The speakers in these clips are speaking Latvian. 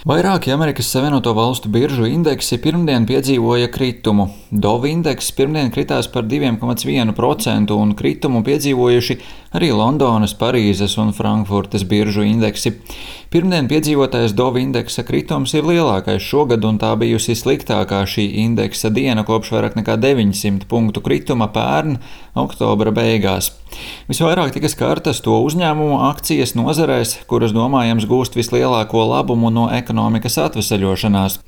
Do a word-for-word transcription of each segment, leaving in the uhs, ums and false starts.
Vairāki Amerikas Savienoto Valstu biržu indeksi pirmdien piedzīvoja kritumu. Dov indeks pirmdien kritās par divi komats viens procenti un kritumu piedzīvojuši arī Londonas, Parīzes un Frankfurtes biržu indeksi. Pirmdien piedzīvotais Dov indeksa kritums ir lielākais šogad, un tā bijusi sliktākā šī indeksa diena kopš vairāk nekā deviņsimt punktu krituma pērn oktobra beigās. Visvairāk tika skartas to uzņēmumu akcijas nozarēs, kuras domājams gūst vislielāko labumu no ekonomikas atveseļošanās.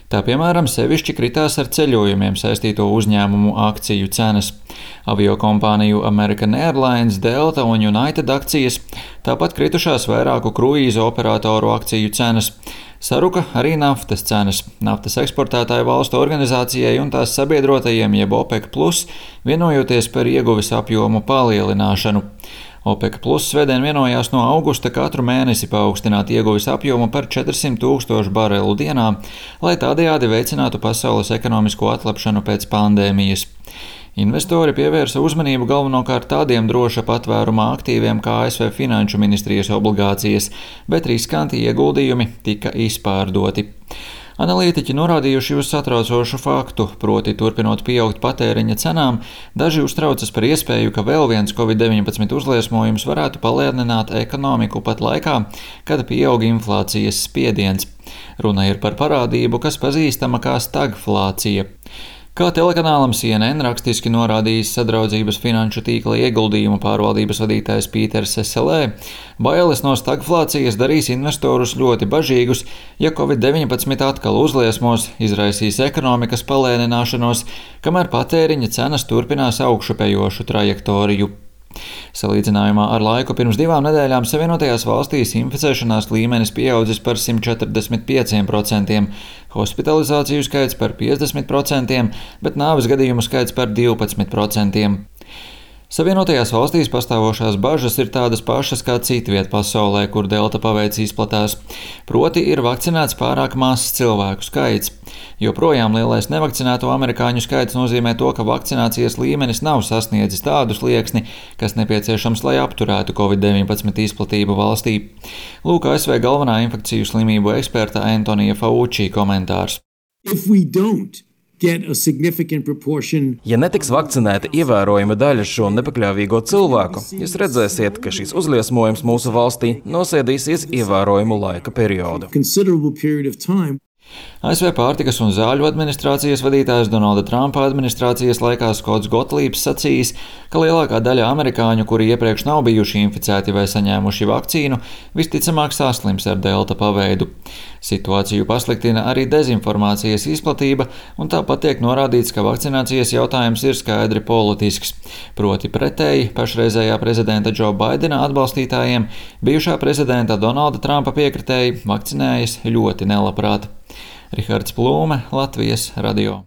Tā piemēram sevišķi kritās ar ceļojumiem saistīto uzņēmumu akciju cenas. Aviokompāniju American Airlines, Delta un United akcijas, tāpat kritušās vairāku kruīzu operatoru akciju cenas. Saruka arī naftas cenas. Naftas eksportētāju valstu organizācijai un tās sabiedrotajiem jeb OPEC plus vienojoties par ieguves apjomu palielināšanu. OPEC plus svētdien vienojās no augusta katru mēnesi paaugstināt ieguves apjomu par četrsimt tūkstošu barelu dienā, lai tādējādi veicinātu pasaules ekonomisko atlapšanu pēc pandēmijas. Investori pievērsa uzmanību galvenokārt tādiem droša patvērumā aktīviem kā A S V Finanšu ministrijas obligācijas, bet riskanti ieguldījumi tika izpārdoti. Analītiķi norādījuši uz satraucošu faktu, proti turpinot pieaugt patēriņa cenām, daži uztraucas par iespēju, ka vēl viens covid deviņpadsmit uzliesmojums varētu palēnināt ekonomiku pat laikā, kad pieaug inflācijas spiediens. Runa ir par parādību, kas pazīstama kā stagflācija. Kā telekanālam C N N rakstiski norādījis sadraudzības finanšu tīkla ieguldījumu pārvaldības vadītājs Pīters Eselē, bailes no stagflācijas darīs investorus ļoti bažīgus, ja covid deviņpadsmit atkal uzliesmos, izraisīs ekonomikas palēnināšanos, kamēr patēriņa cenas turpinās augšupejošu trajektoriju. Salīdzinājumā ar laiku pirms divām nedēļām Savienotajās valstīs inficēšanās līmenis pieaudzis par simt četrdesmit pieciem procentiem, hospitalizāciju skaits par piecdesmit procentiem, bet nāves gadījumu skaits par divpadsmit procentiem. Savienotajās valstīs pastāvošās bažas ir tādas pašas kā citviet pasaulē, kur delta paveids izplatās. Proti ir vakcinēts pārāk mazs cilvēku skaits. Joprojām lielais nevakcinēto amerikāņu skaits nozīmē to, ka vakcinācijas līmenis nav sasniedzis tādu slieksni, kas nepieciešams, lai apturētu covid deviņpadsmit izplatību valstī. Lūk, A S V galvenā infekciju slimību eksperta Antonija Fauci komentārs. Ja netiks vakcinēta ievērojama daļa šo nepakļāvīgo cilvēku, jūs redzēsiet, ka šis uzliesmojums mūsu valstī nosēdīsies ievērojamu laika periodu. A S V pārtikas un zāļu administrācijas vadītājs Donalda Trumpa administrācijas laikā Skots Gotlībs sacījis, ka lielākā daļa amerikāņu, kuri iepriekš nav bijuši inficēti vai saņēmuši vakcīnu, visticamāk saslims ar delta paveidu. Situāciju pasliktina arī dezinformācijas izplatība, un tāpat tiek norādīts, ka vakcinācijas jautājums ir skaidri politisks. Proti pretēji pašreizējā prezidenta Džo Baidena atbalstītājiem, bijušā prezidenta Donalda Trumpa piekritēji vakcinējas ļoti nelabprāt. Rihards Plūme, Latvijas radio.